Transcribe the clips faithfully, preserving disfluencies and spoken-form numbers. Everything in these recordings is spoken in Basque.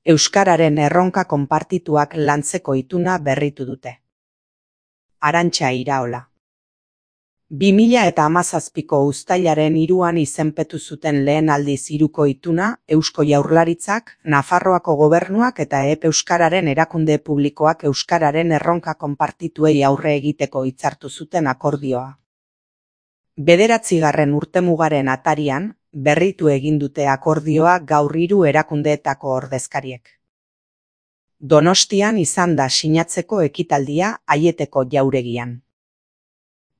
Euskararen erronka konpartituak lantzeko ituna berritu dute. Arantxa Iraola. bi mila hamazazpiko uztailaren hiruan izenpetu zuten lehen aldiz hiruko ituna Eusko Jaurlaritzak, Nafarroako Gobernuak eta E P Euskararen erakunde publikoak euskararen erronka konpartituei aurre egiteko hitzartu zuten akordioa. Bederatzigarren urtemugaren atarian, berritu egin dute akordioa gaur hiru erakundeetako ordezkariek. Donostian izan da sinatzeko ekitaldia Aieteko jauregian.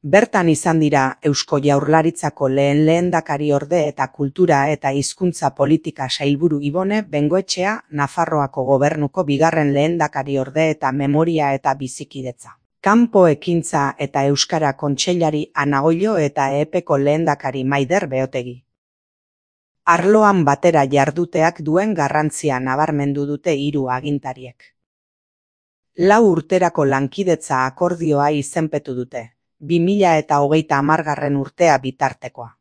Bertan izan dira Eusko Jaurlaritzako lehen lehendakariorde eta kultura eta hizkuntza politika sailburu Ibone Bengoetxea, Nafarroako Gobernuko bigarren lehendakariorde eta memoria eta bizikidetza. Kanpo ekintza eta Euskara Kontseilari Ana Oilo eta E Peko lehendakari Maider Beotegi. Arloan batera jarduteak duen garrantzia nabarmendu dute hiru agintariek. Lau urterako lankidetza akordioa izenpetu dute. bi mila hogeita hamargarren urtea bitartekoa.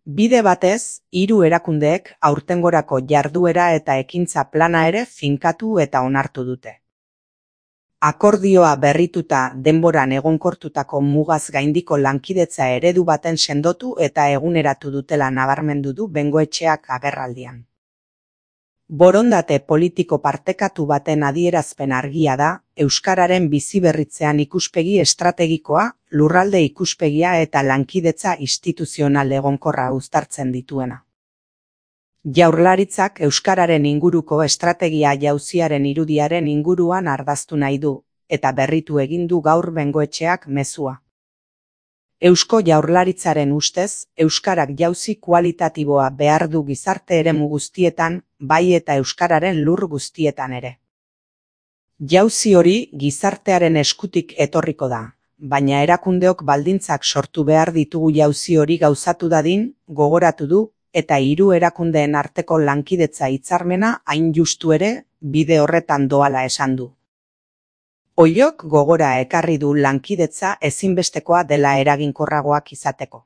Bide batez, hiru erakundeek aurtengorako jarduera eta ekintza plana ere finkatu eta onartu dute. Akordioa berrituta denboran egonkortutako mugaz gaindiko lankidetza eredu baten sendotu eta eguneratu dutela nabarmendu du Bengoetxeak agerraldian. Borondate politiko partekatu baten adierazpen argia da, euskararen biziberritzean ikuspegi estrategikoa, lurralde ikuspegia eta lankidetza instituzional egonkorra uztartzen dituena. Jaurlaritzak euskararen inguruko estrategia jauziaren irudiaren inguruan ardaztu nahi du, eta berritu egin du gaur Bengoetxeak mezua. Eusko Jaurlaritzaren ustez, euskarak jauzi kualitatiboa behar du gizarte eremu guztietan, bai eta euskararen lur guztietan ere. Jauzi hori gizartearen eskutik etorriko da, baina erakundeok baldintzak sortu behar ditugu jauzi hori gauzatu dadin, gogoratu du, eta hiru erakundeen arteko lankidetza hitzarmena hain justu ere, bide horretan doala esan du. Oilok gogora ekarri du lankidetza ezinbestekoa dela eraginkorragoak izateko.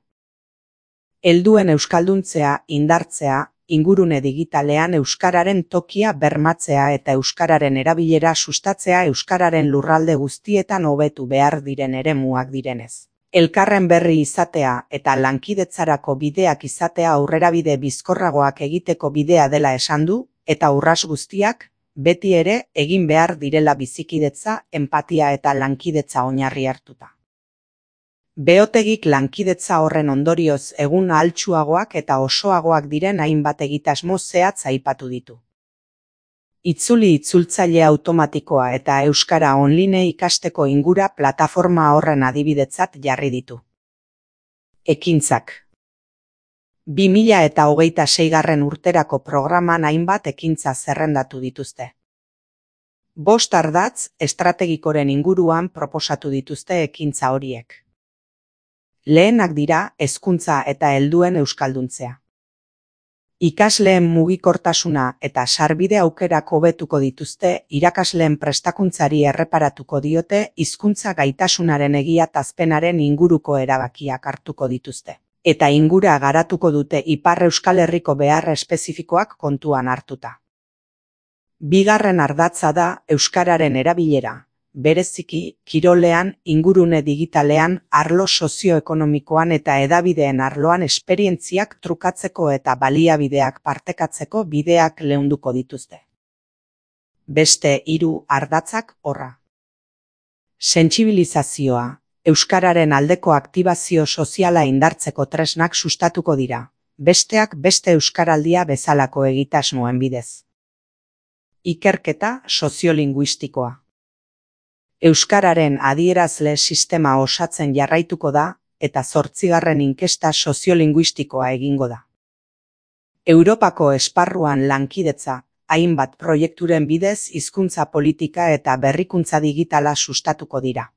Helduen euskalduntzea indartzea, ingurune digitalean euskararen tokia bermatzea eta euskararen erabilera sustatzea euskararen lurralde guztietan hobetu behar diren eremuak direnez. Elkarren berri izatea eta lankidetzarako bideak izatea aurrerabide bizkorragoak egiteko bidea dela esan du, eta urras guztiak, beti ere egin behar direla bizikidetza, enpatia eta lankidetza oinarri hartuta. Beotegik lankidetza horren ondorioz egun ahaltsuagoak eta osoagoak diren hainbat egitasmo zehatz aipatu ditu. Itzuli itzultzaile automatikoa eta euskara online ikasteko ingura plataforma horren adibidetzat jarri ditu. Ekintzak. bi mila hogeita seigarren urterako programan hainbat ekintza zerrendatu dituzte. Bost ardatz estrategikoren inguruan proposatu dituzte ekintza horiek. Lehenak dira hezkuntza eta helduen euskalduntzea. Ikasleen mugikortasuna eta sarbide aukerak hobetuko dituzte, irakasleen prestakuntzari erreparatuko diote, hizkuntza gaitasunaren egiatazpenaren inguruko erabakiak hartuko dituzte. Eta ingura garatuko dute Ipar Euskal Herriko behar espezifikoak kontuan hartuta. Bigarren ardatza da euskararen erabilera, bereziki kirolean, ingurune digitalean, arlo sozioekonomikoan eta hedabideen arloan esperientziak trukatzeko eta baliabideak partekatzeko bideak leunduko dituzte. Beste hiru ardatzak horra. Sentsibilizazioa. Euskararen aldeko aktibazio soziala indartzeko tresnak sustatuko dira, besteak beste euskaraldia bezalako egitasmoen bidez. Ikerketa soziolinguistikoa. Euskararen adierazle sistema osatzen jarraituko da, eta zortzigarren inkesta soziolinguistikoa egingo da. Europako esparruan lankidetza, hainbat proiekturen bidez hizkuntza politika eta berrikuntza digitala sustatuko dira.